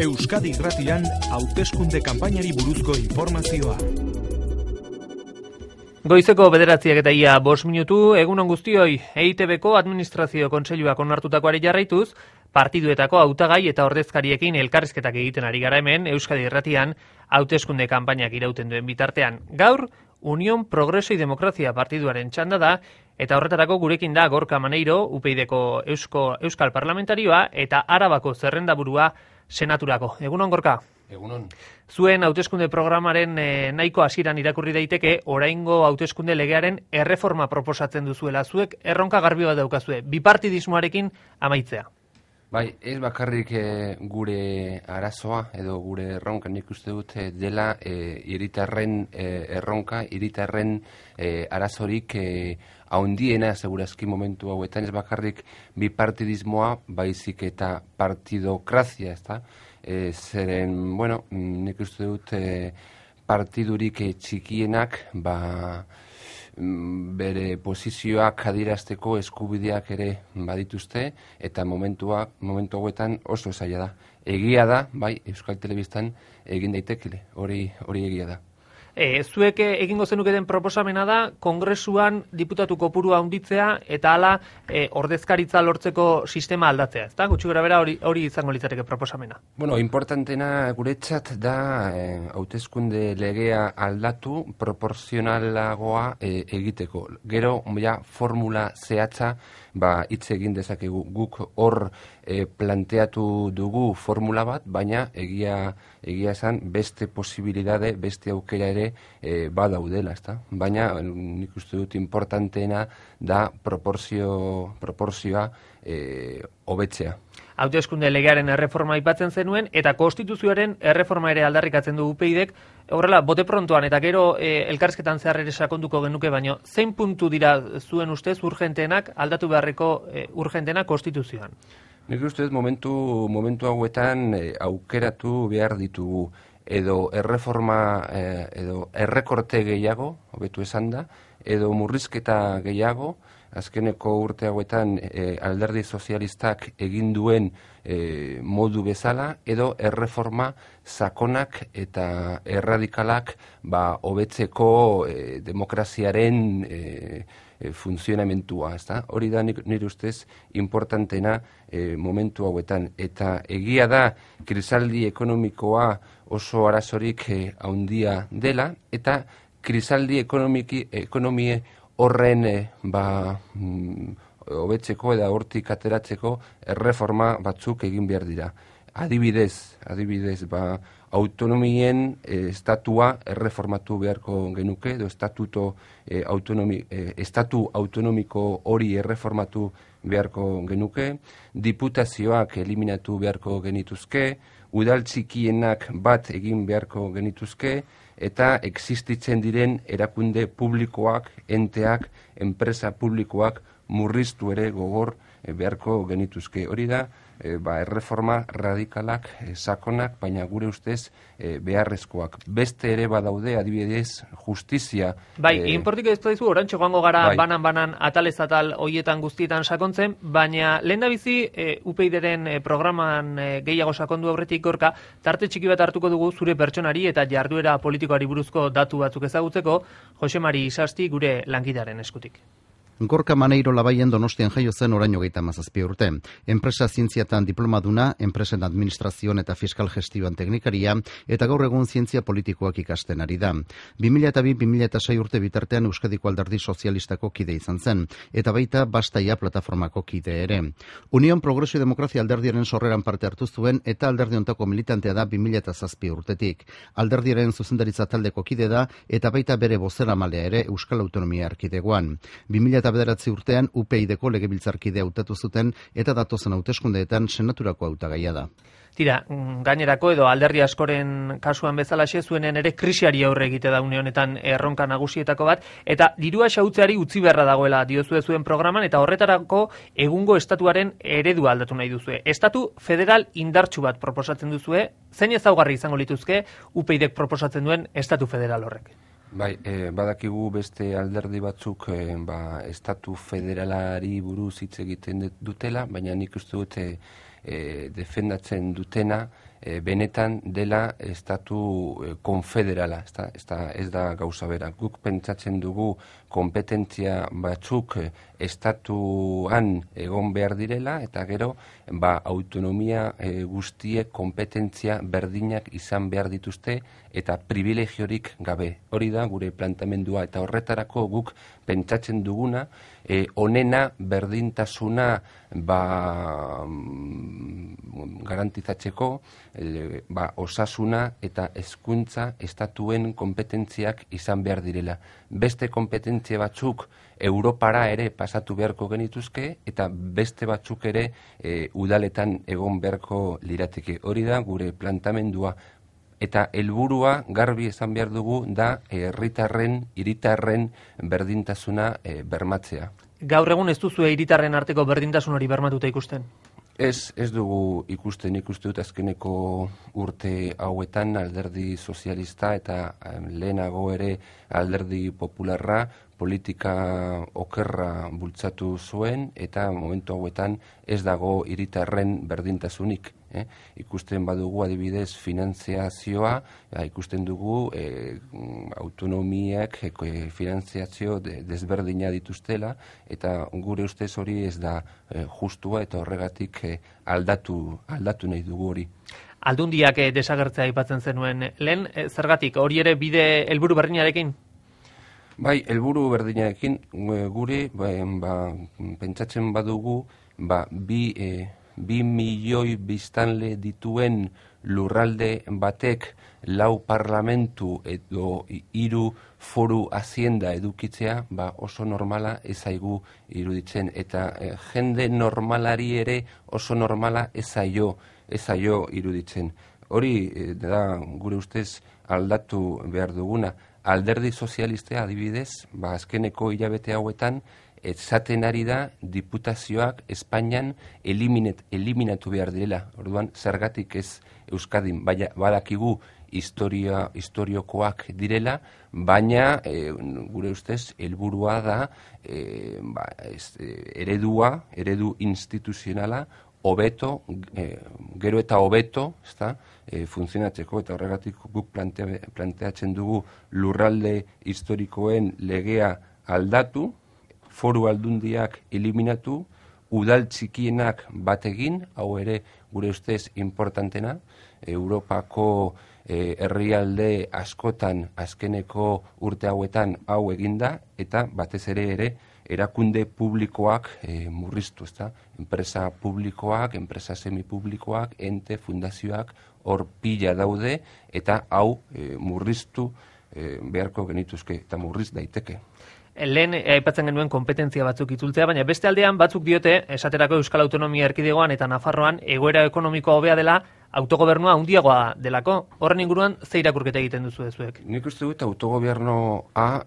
Euskadi Irratian hauteskunde kanpainari buruzko informazioa. Goizeko 9:05 minutu, egunon guztioi, EITBko Administrazio Kontseiluak onartutakoari jarraituz, partiduetako hautagai eta ordezkariekin elkarrizketak egiten ari gara hemen Euskadi Irratian hauteskunde kanpainak irauten duen bitartean. Gaur, Unión Progreso y Democracia partiduaren txanda da, eta horretarako gurekin da Gorka Maneiro, UPyDko Euskal Parlamentarioa, eta Arabako zerrendaburua senaturako. Egunon, Gorka? Egunon. Zuen hauteskunde programaren nahiko hasieran irakurri daiteke, oraingo hauteskunde legearen erreforma proposatzen duzuela. Zuek erronka garbi bat daukazue, bipartidismoarekin amaitzea. Bai, ez bakarrik gure arazoa edo gure erronka nik uste dut dela hiritarren erronka, hiritarren arazorik haundiena segurazki momentu hauetan, ez bakarrik bipartidismoa, baizik eta partidokrazia, ezta? Zeren, bueno, nik uste dut partidurik txikienak, bere posizioak adierazteko eskubideak ere badituzte, eta momentu hauetan oso zaila da. Egia da, bai, Euskal Telebistan egin daitekile, hori egia da. Zuek egingo zenuketen proposamena da, Kongresuan diputatu kopurua handitzea eta hala ordezkaritza lortzeko sistema aldatzea, ezta? Gutxi gorabehera hori izango litzateke proposamena. Bueno, importantena guretzat da hauteskunde legea aldatu proporzionalagoa egiteko. Gero, formula zehatza hitz egin dezakegu. Guk hor planteatu dugu formula bat, baina egia esan beste posibilidade, beste aukera ere badaudela, ezta? Baina nik uste dut importanteena da proportzioa hobetzea. Hauteskunde legearen erreforma aipatzen zenuen, eta konstituzioaren erreforma ere aldarrikatzen du UPyDek. Horrela, bote prontoan eta gero elkarrizketan zehar ere sakonduko genuke, baino zein puntu dira zuen ustez urgentenak, aldatu beharreko urgentenak konstituzioan? Nik uste dut momentu hauetan aukeratu behar ditugu edo erreforma edo errekorte gehiago, hobetu esan da, edo murrizketa gehiago. Azkeneko urte hauetan alderdi sozialistak egin duen modu bezala, edo erreforma sakonak eta erradikalak hobetzeko demokraziaren funtzionamentua, ezta? Hori da nire ustez importantena momentu hauetan. Eta egia da krisaldi ekonomikoa oso arazorik handia dela, eta krisaldi ekonomie horren hobetzeko eta hortik ateratzeko erreforma batzuk egin behar dira. Adibidez, autonomien estatua erreformatu beharko genuke, edo estatu autonomiko hori erreformatu beharko genuke, diputazioak eliminatu beharko genituzke, udal txikienak bat egin beharko genituzke, eta existitzen diren erakunde publikoak, enteak, enpresa publikoak murriztu ere gogor beharko genituzke. Hori da, erreforma radikalak, sakonak, baina gure ustez beharrezkoak. Beste ere badaude, adibidez, justizia. Bai, inportik ez daizu, orantxo joango gara banan atalez atal hoietan guztietan sakontzen, baina lehendabizi UPyDren programan gehiago sakondu aurretik, Gorka, tarte txiki bat hartuko dugu zure pertsonari eta jarduera politikoari buruzko datu batzuk ezagutzeko, Jose Mari Isasti gure lankidearen eskutik. Gorka Maneiro Labaien Donostian jaio zen oraino 37 urte. Enpresa zientziatan diplomaduna, enpresen administrazioan eta fiskal gestioan teknikaria, eta gaur egun zientzia politikoak ikasten ari da. 2002-2006 urte bitartean Euskadiko Alderdi Sozialistako kide izan zen, eta baita Bastaia plataformako kide ere. Unión Progreso y Democracia alderdiaren sorreran parte hartu zuen, eta alderdi hontako militantea da 2007 urtetik. Alderdiaren zuzendaritza taldeko kide da, eta baita bere bozeramalea ere Euskal Autonomia Erkidegoan. 2009 urtean UPyDko legebiltzarkide hautatu zuten, eta datozen hauteskundeetan senaturako hautagaia da. Tira, gainerako edo alderdi askoren kasuan bezalaxe zuenen ere krisiari aurre egite da une honetan erronka nagusietako bat, eta dirua xahutzeari utzi beharra dagoela diozue zuen programan, eta horretarako egungo estatuaren eredua aldatu nahi duzue. Estatu federal indartsu bat proposatzen duzue, zein ezaugarri izango lituzke UPyDek proposatzen duen estatu federal horrek? Bai, badakigu beste alderdi batzuk estatu federalari buruz hitz egiten dutela, baina nik uste dute defendatzen dutena benetan dela estatu konfederala, ez da gauza bera. Guk pentsatzen dugu kompetentzia batzuk estatuan egon behar direla, eta gero autonomia guztiek kompetentzia berdinak izan behar dituzte eta privilegiorik gabe. Hori da gure planteamendua, eta horretarako guk pentsatzen duguna, onena berdintasuna garantizatzeko, osasuna eta hezkuntza estatuen kompetentziak izan behar direla. Beste kompetentzia batzuk Europara ere pasatu beharko genituzke, eta beste batzuk ere udaletan egon beharko lirateke. Hori da gure planteamendua. Eta helburua garbi esan behar dugu da hiritarren berdintasuna bermatzea. Gaur egun ez duzu hiritarren arteko berdintasun hori bermatuta ikusten? Ez dugu ikusten, ikuste dut azkeneko urte hauetan alderdi sozialista eta lehenago ere alderdi popularra politika okerra bultzatu zuen, eta momentu hauetan ez dago hiritarren berdintasunik. Ikusten badugu adibidez finantziazioa, ikusten dugu autonomiak finantziazio desberdina dituztela, eta gure ustez hori ez da justua, eta horregatik aldatu nahi dugu hori. Aldundiak desagertzea aipatzen zenuen lehen, zergatik hori ere bide helburu berdinarekin? Bai, helburu berdinarekin gure pentsatzen badugu 2 milioi biztanle dituen lurralde batek 4 parlamentu edo 3 foru hazienda edukitzea, oso normala ez zaigu iruditzen, eta jende normalari ere oso normala ez zaio iruditzen. Hori da gure ustez aldatu behar duguna. Alderdi sozialistea adibidez, azkeneko hilabete hauetan, esaten ari da diputazioak Espainian eliminatu behar direla. Orduan, zergatik ez Euskadin, badakigu historiokoak direla, baina gure ustez helburua da eredu instituzionala hobeto, gero eta hobeto, funtzionatzeko, eta horregatik guk planteatzen dugu lurralde historikoen legea aldatu, foru aldundiak eliminatu, udal txikienak bategin, hau ere gure ustez importantena, Europako herrialde askotan azkeneko urte hauetan hau eginda, eta batez ere erakunde publikoak murriztu, enpresa publikoak, enpresa semipublikoak, ente, fundazioak hor pila daude, eta hau murriztu beharko genituzke, eta murriz daiteke. Lehen aipatzen genuen kompetentzia batzuk itzultzea, baina beste aldean batzuk diote, esaterako Euskal Autonomia Erkidegoan eta Nafarroan egoera ekonomikoa hobea dela, autogobernua handiagoa delako. Horren inguruan ze irakurketa egiten duzu ezuek? Nik uste dut autogobernua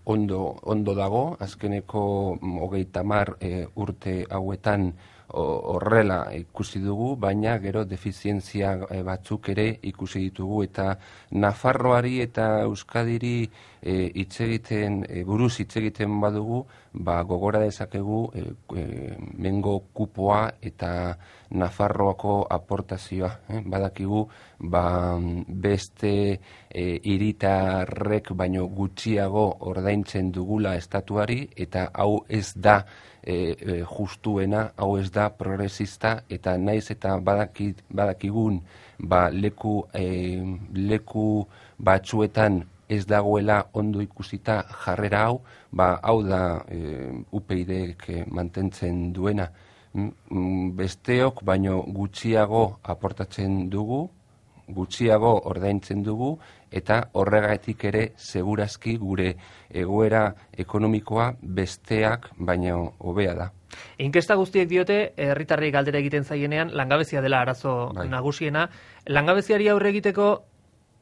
ondo dago, azkeneko 30 urte hauetan horrela ikusi dugu, baina gero defizientzia batzuk ere ikusi ditugu, eta Nafarroari eta Euskadiri buruz hitz egiten badugu, gogora dezakegu mengo kupoa eta Nafarroako aportazioa. Badakigu beste hiritarrek baino gutxiago ordaintzen dugula estatuari, eta hau ez da justuena, hau ez da progresista, eta naiz eta badakigun leku batzuetan ez dagoela ondo ikusita jarrera hau, hau da UPyDek mantentzen duena. Besteok baino gutxiago aportatzen dugu, gutxiago ordaintzen dugu, eta horregatik ere segurazki gure egoera ekonomikoa besteak baino hobea da. Inkesta guztiek diote, herritarrei galdera egiten zaienean, langabezia dela arazo nagusiena. Langabeziari aurre egiteko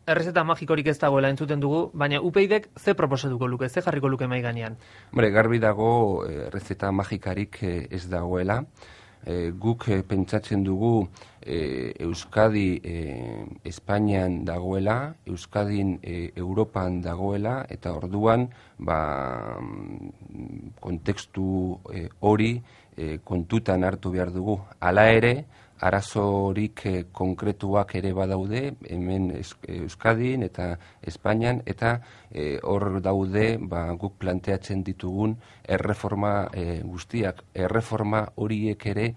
errezeta magikorik ez dagoela entzuten dugu, baina UPyDek ze proposatuko luke, ze jarriko luke mahai gainean? Garbi dago errezeta magikarik ez dagoela. Guk pentsatzen dugu Euskadi Espainian dagoela, Euskadin Europan dagoela, eta orduan kontekstu hori kontutan hartu behar dugu. Hala ere, arazorik konkretuak ere badaude, hemen Euskadin eta Espainian, eta hor daude guk planteatzen ditugun erreforma guztiak. Erreforma horiek ere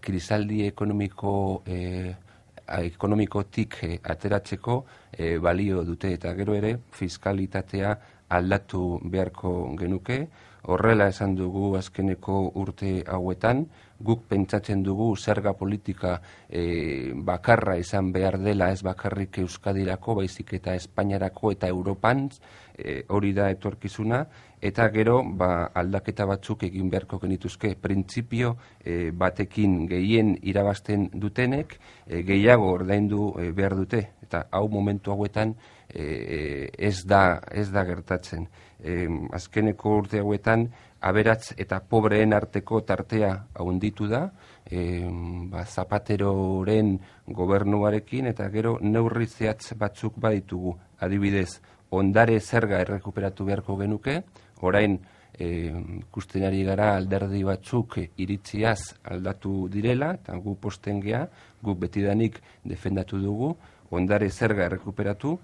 krisaldi ekonomikotik ateratzeko balio dute, eta gero ere fiskalitatea aldatu beharko genuke. Horrela esan dugu azkeneko urte hauetan, guk pentsatzen dugu zerga politika bakarra izan behar dela, ez bakarrik Euskadirako, baizik eta Espainiarako eta Europan, hori da etorkizuna, eta gero aldaketa batzuk egin beharko genituzke. Printzipio batekin gehien irabazten dutenek gehiago ordaindu behar dute, eta hau momentu hauetan ez da gertatzen. Azkeneko urte hauetan aberats eta pobreen arteko tartea handitu da, Zapateroren gobernuarekin, eta gero neurri zehatz batzuk baditugu. Adibidez, ondare zerga errekuperatu beharko genuke, orain ikusten ari gara alderdi batzuk iritziaz aldatu direla, eta gu posten gea, guk betidanik defendatu dugu, ondare zerga errekuperatu,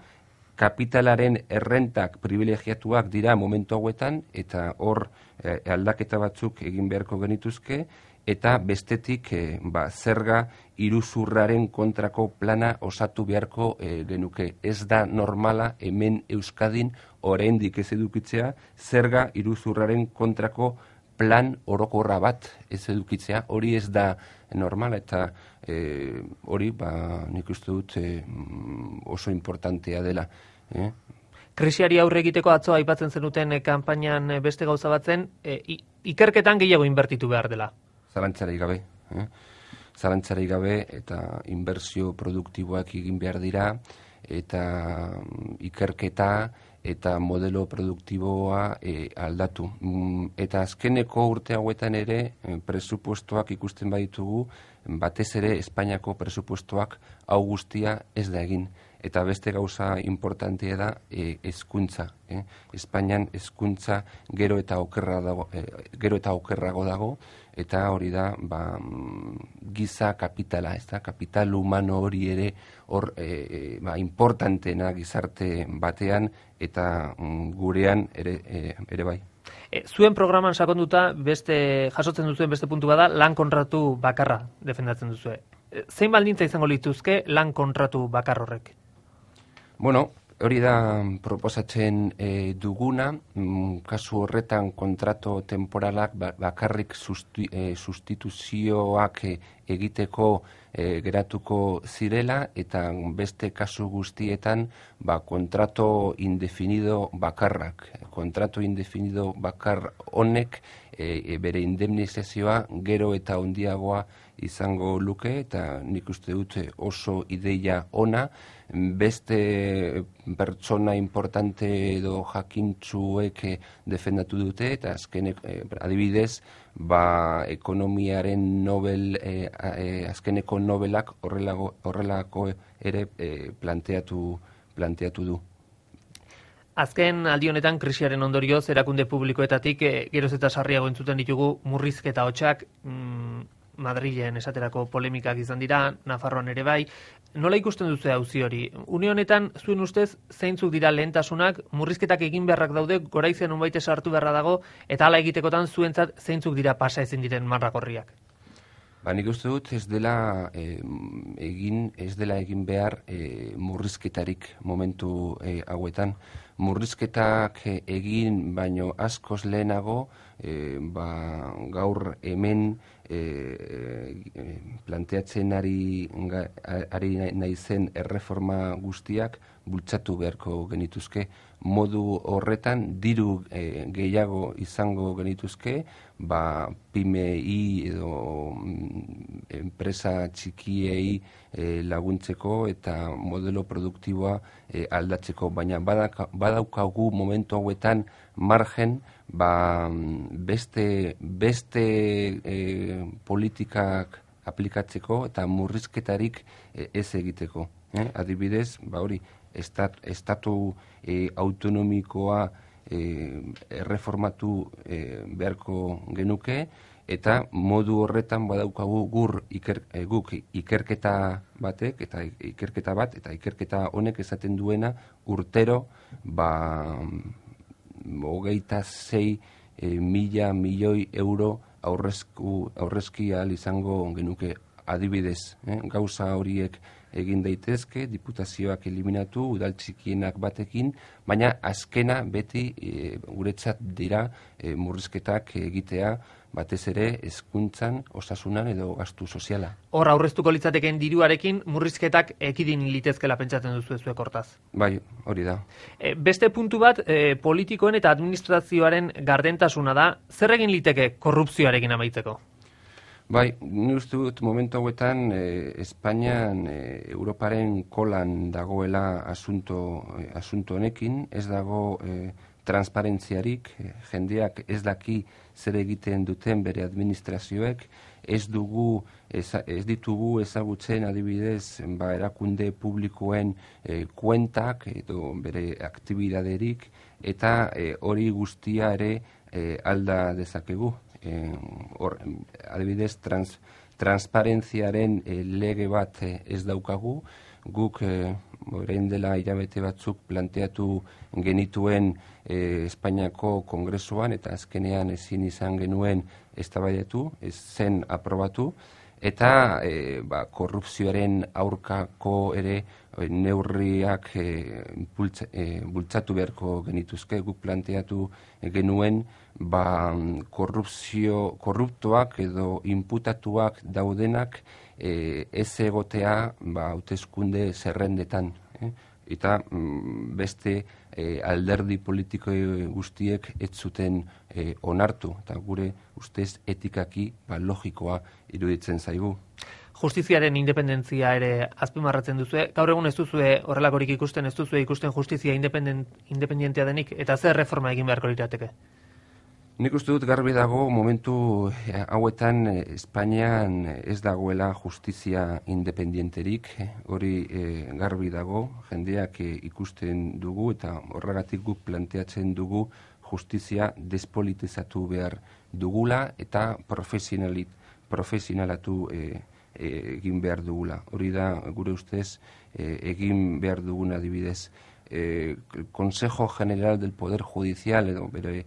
kapitalaren errentak privilegiatuak dira momentu hauetan, eta hor aldaketa batzuk egin beharko genituzke, eta bestetik zerga iruzurraren kontrako plana osatu beharko genuke. Ez da normala hemen Euskadin oraindik ez edukitzea zerga iruzurraren kontrako plan orokorra bat ez edukitzea. Hori ez da normala, eta hori nik uste dut oso importantea dela. Krisiari aurre egiteko atzo aipatzen zenuten kanpainan beste gauza batzen, ikerketan gehiago inbertitu behar dela. Zalantzarik gabe, eta inbertsio produktiboak egin behar dira, eta ikerketa eta modelo produktiboa aldatu. Eta azkeneko urte hauetan ere presupuestoak ikusten baditugu, batez ere Espainiako presupuestoak hau guztia ez da egin. Eta beste gauza importantea da hezkuntza. Espainian hezkuntza gero eta okerrago dago, eta hori da giza kapitala, ez da, kapital humano hori ere hor importantena gizarte batean, eta gurean ere bai. Zuen programan sakonduta jasotzen duzuen beste puntu bada lan kontratu bakarra defendatzen duzue. Zein baldintza izango lituzke lan kontratu bakar horrek? Bueno, hori da proposatzen duguna, kasu horretan kontrato temporalak bakarrik sustituzioak egiteko geratuko zirela, eta beste kasu guztietan kontrato indefinido bakarrak. Kontrato indefinido bakar honek bere indemnizazioa gero eta handiagoa izango luke, eta nik uste dut oso ideia ona. Beste pertsona importante edo jakintzuek defendatu dute, eta adibidez, ekonomiaren Nobel, azkeneko Nobelak horrelako ere planteatu du. Azken aldi honetan krisiaren ondorioz erakunde publikoetatik geroz eta sarriago entzuten ditugu murrizketa hotsak, Madrilen esaterako polemikak izan dira, Nafarroan ere bai. Nola ikusten duzu auzi hori? Une honetan, zuen ustez, zeintzuk dira lehentasunak, murrizketak egin beharrak daude, goraizean unbaite sartu beharra dago, eta hala egitekotan zuentzat zeintzuk dira pasa ezin diren marrakorriak? Nik uste dut ez dela egin behar murrizketarik momentu hauetan. Murrizketak egin baino askoz lehenago, gaur hemen planteatzen ari naizen erreforma guztiak bultzatu beharko genituzke. Modu horretan diru gehiago izango genituzke, PYMEI edo enpresa txikiei laguntzeko eta modelo produktiboa aldatzeko, baina badaukagu momentu hauetan margen beste politikak aplikatzeko eta murrizketarik ez egiteko. Adibidez, hori, estatu autonomikoa erreformatu beharko genuke, eta modu horretan badaukagu guk ikerketa batek eta ikerketa bat, eta ikerketa honek esaten duena urtero 26.000 milioi euro aurrezki ahal izango genuke. Adibidez, gauza horiek egin daitezke, diputazioak eliminatu, udal txikienak batekin, baina azkena beti guretzat dira murrizketak egitea, batez ere hezkuntzan, osasunan edo gastu soziala. Hor aurreztuko litzateken diruarekin murrizketak ekidin litezkela pentsatzen duzu zuek hortaz. Bai, hori da. Beste puntu bat, politikoen eta administrazioaren gardentasuna da, zer egin liteke korrupzioarekin amaitzeko? Bai, ni uste dut momentu hauetan Espainian Europaren kolan dagoela asunto honekin, ez dago transparentziarik, jendeak ez daki zer egiten duten bere administrazioek, ez ditugu ezagutzen adibidez erakunde publikoen kuentak edo bere aktibidaderik, eta hori guztia ere alda dezakegu. Adibidez, transparentziaren lege bat ez daukagu, guk orain dela hilabete batzuk planteatu genituen Espainiako Kongresuan, eta azkenean ezin izan genuen eztabaidatu, ez zen aprobatu, eta korrupzioaren aurkako ere neurriak bultzatu beharko genituzke. Guk planteatu genuen korruptoak edo inputatuak daudenak ez egotea hauteskunde zerrendetan, eta beste alderdi politiko guztiek ez zuten onartu, eta gure ustez etikaki logikoa iruditzen zaigu. Justiziaren independentzia ere azpimarratzen duzue. Gaur egun ez duzue horrelakorik ikusten, ez duzue ikusten justizia independentea denik, eta zer reforma egin beharko lirateke? Nik uste dut garbi dago momentu hauetan Espainian ez dagoela justizia independenterik, hori garbi dago, jendeak ikusten dugu, eta horregatik guk planteatzen dugu justizia despolitizatu behar dugula eta profesionalatu egin behar dugula. Hori da gure ustez egin behar duguna adibidez. Consejo General del Poder Judicial edo bere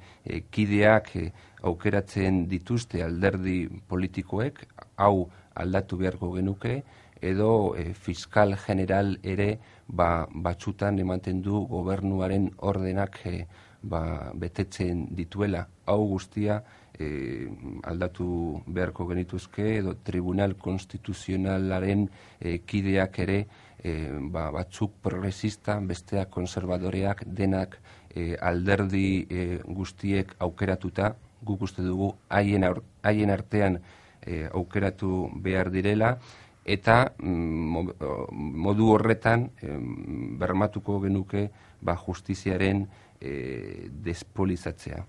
kideak aukeratzen dituzte alderdi politikoek, hau aldatu beharko genuke, edo fiskal general ere batzutan ematen du gobernuaren ordenak betetzen dituela. Hau guztia aldatu beharko genituzke, edo Tribunal Konstituzionalaren kideak ere batzuk progresista, besteak konservadoreak, denak alderdi guztiek aukeratuta, guk uste dugu haien artean aukeratu behar direla, eta modu horretan bermatuko genuke justiziaren despolizatzea.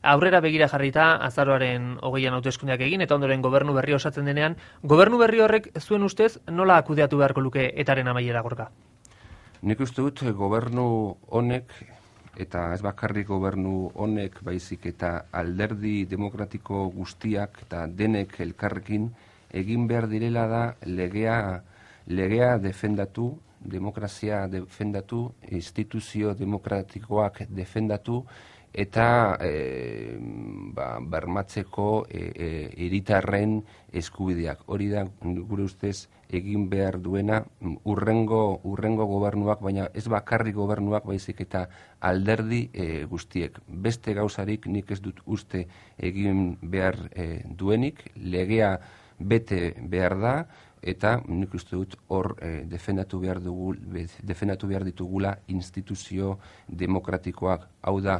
Aurrera begira jarrita, azaroaren 20an hauteskundeak egin, eta ondoren gobernu berri osatzen denean, gobernu berri horrek zuen ustez nola kudeatu beharko luke etaren amaiera Gorka? Nik uste dut gobernu honek, eta ez bakarrik gobernu honek, baizik eta alderdi demokratiko guztiak eta denek elkarrekin egin behar direla da legea defendatu, demokrazia defendatu, instituzio demokratikoak defendatu, eta bermatzeko hiritarren eskubideak. Hori da gure ustez egin behar duena urrengo gobernuak, baina ez bakarri gobernuak, baizik eta alderdi guztiek. Beste gauzarik nik ez dut uste egin behar duenik, legea bete behar da, eta nik uste dut hor defendatu behar ditugula instituzio demokratikoak. Hau da,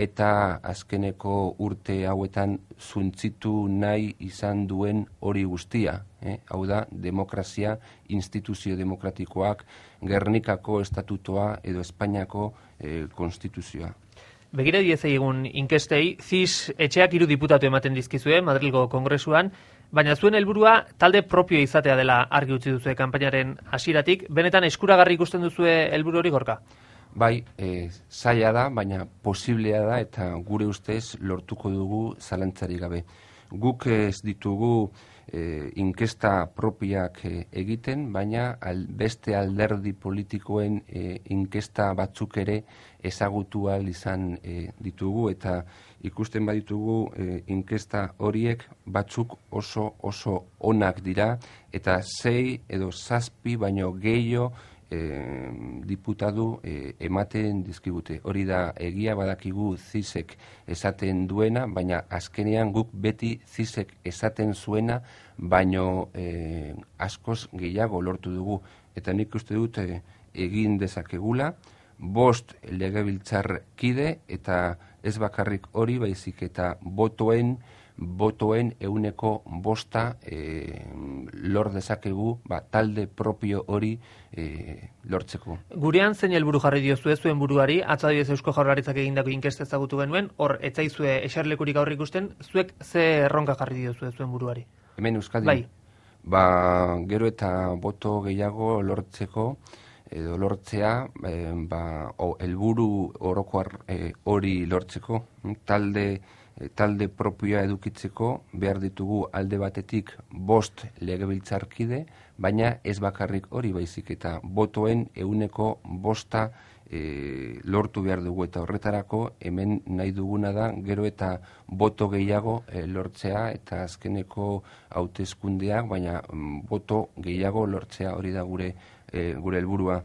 eta azkeneko urte hauetan zuntzitu nahi izan duen hori guztia. Hau da, demokrazia, instituzio demokratikoak, Gernikako estatutoa edo Espainiako konstituzioa. Begira diezei egun inkestei, CIS etxeak 3 diputatu ematen dizkizue Madrilgo Kongresuan, baina zuen helburua talde propio izatea dela argi utzi duzue kanpainaren hasieratik. Benetan eskuragarri ikusten duzue helburu hori Gorka? Bai, zaila da, baina posiblea da, eta gure ustez lortuko dugu zalantzarik gabe. Guk ez ditugu inkesta propiak egiten, baina beste alderdi politikoen inkesta batzuk ere ezagutu ahal izan ditugu, eta ikusten baditugu inkesta horiek batzuk oso onak dira, eta 6 edo 7 baino gehiago diputatu ematen dizkigute. Hori da egia, badakigu CISek esaten duena, baina azkenean guk beti CISek esaten zuena, baino askoz gehiago lortu dugu. Eta nik uste dut egin dezakegula, 5 legebiltzarkide, eta ez bakarrik hori, baizik eta botoen 5% lor dezakegu talde propio hori lortzeko. Gurean zein helburu jarri diozue zuen buruari, atzo adibidez Eusko Jaurlaritzak egindako inkesta ezagutu genuen, hor ez zaizue eserlekurik aurre ikusten, zuek ze erronka jarri diozue zuen buruari? Hemen Euskadin? Bai. Gero eta boto gehiago lortzeko, edo lortzea, helburu orokoar hori lortzeko, talde propioa edukitzeko behar ditugu alde batetik 5 legebiltzarkide, baina ez bakarrik hori, baizik eta botoen 5% lortu behar dugu, eta horretarako hemen nahi duguna da gero eta boto gehiago lortzea, eta azkeneko hauteskundeak, baina boto gehiago lortzea, hori da gure helburua.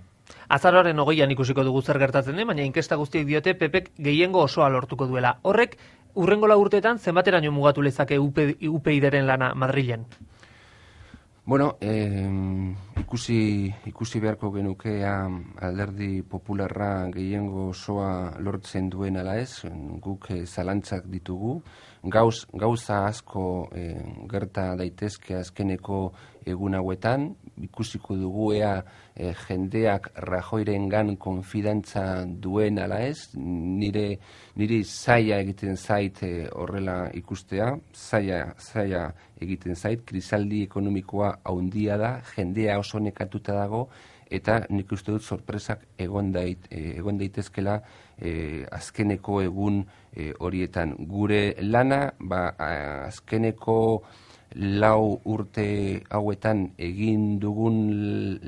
Azaroaren 20an ikusiko dugu zer gertatzen den, baina inkesta guztiek diote PPk gehiengo osoa lortuko duela. Horrek, urrengo 4 urteetan zenbateraino mugatu lezake UPyDren lana Madrilen? Bueno, ikusi beharko genuke alderdi popularra gehiengo osoa lortzen duen ala ez, guk zalantzak ditugu, gauza asko gerta daitezke azkeneko egun hauetan, ikusiko dugu ea jendeak Rajoyrengan konfidantza duen ala ez, niri zaila egiten zait horrela ikustea, zaila egiten zait, krisaldi ekonomikoa haundia da, jendea oso nekatuta dago, eta nik uste dut sorpresak egon daitezkela azkeneko egun horietan. Gure lana, azkeneko 4 urte hauetan egin dugun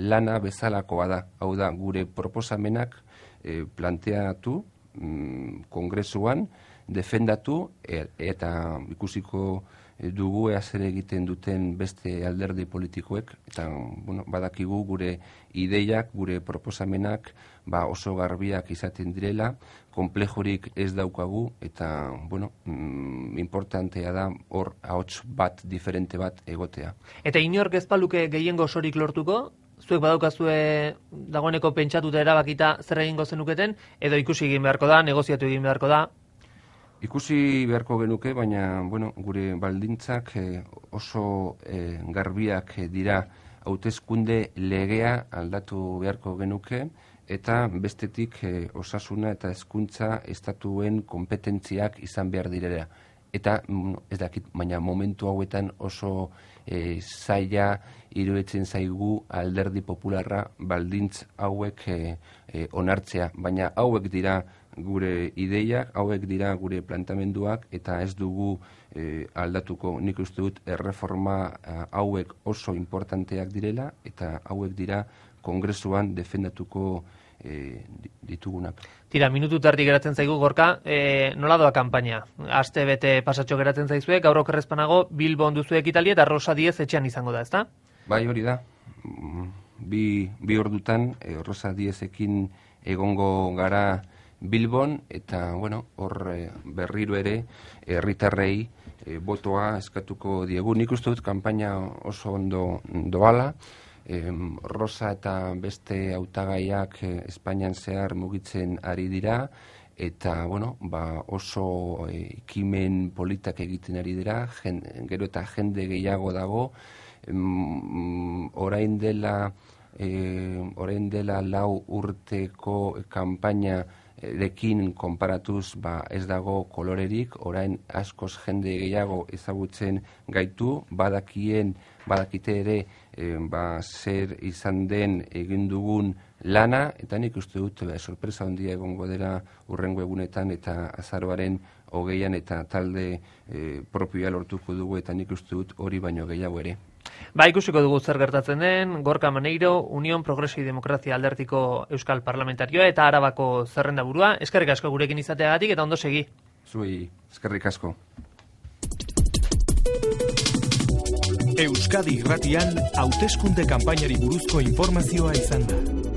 lana bezalakoa da. Hau da, gure proposamenak planteatu kongresuan, defendatu, eta ikusiko dugu zer egiten duten beste alderdi politikoek, eta badakigu gure ideiak, gure proposamenak oso garbiak izaten direla, konplejorik ez daukagu, eta importantea da hor ahots bat, diferente bat egotea. Eta inork ez baluke gehiengo osorik lortuko, zuek badaukazue dagoeneko pentsatuta erabakita zer egingo zenuketen, edo ikusi egin beharko da, negoziatu egin beharko da? Ikusi beharko genuke, baina gure baldintzak oso garbiak dira. Hauteskunde legea aldatu beharko genuke, eta bestetik osasuna eta hezkuntza estatuen konpetentziak izan behar direla. Eta ez dakit, baina momentu hauetan oso zaila iruditzen zaigu alderdi popularra baldintz hauek onartzea, baina hauek dira gure ideiak, hauek dira gure plantamenduak, eta ez dugu aldatuko. Nik uste dut erreforma hauek oso importanteak direla, eta hauek dira kongresuan defendatuko ditugunak. Tira, minutu tardi geratzen zaigu, Gorka, nola doa kanpaina? Aste bete pasatxo geratzen zaizue, gaur okerrezpanago Bilbon duzu ekitaldia eta Rosa Diez etxean izango da, ezta? Bai, hori da. Bi ordutan Rosa Diezekin egongo gara Bilbon, eta hor berriro ere herritarrei botoa eskatuko diegu. Nik uste dut kanpaina oso ondo doala, Rosa eta beste hautagaiak Espainian zehar mugitzen ari dira, eta oso ekimen politak egiten ari dira, gero eta jende gehiago dago, orain dela 4 urteko kanpaina rekin konparatuz ez dago kolorerik, orain askoz jende gehiago ezagutzen gaitu, badakite ere zer izan den egin dugun lana, eta nik uste dut sorpresa handia egongo dela hurrengo egunetan eta azaroaren 20an eta talde propioa lortuko dugu, eta nik uste dut hori baino gehiago ere. Ikusiko dugu zer gertatzen den. Gorka Maneiro, Unión Progreso y Demokrazia aldertiko euskal parlamentarioa eta Arabako zerrendaburua. Eskerrik asko gurekin izateagatik eta ondo segi. Zuei, eskerrik asko. Euskadi Irratian hauteskunde kanpainari buruzko informazioa izan da.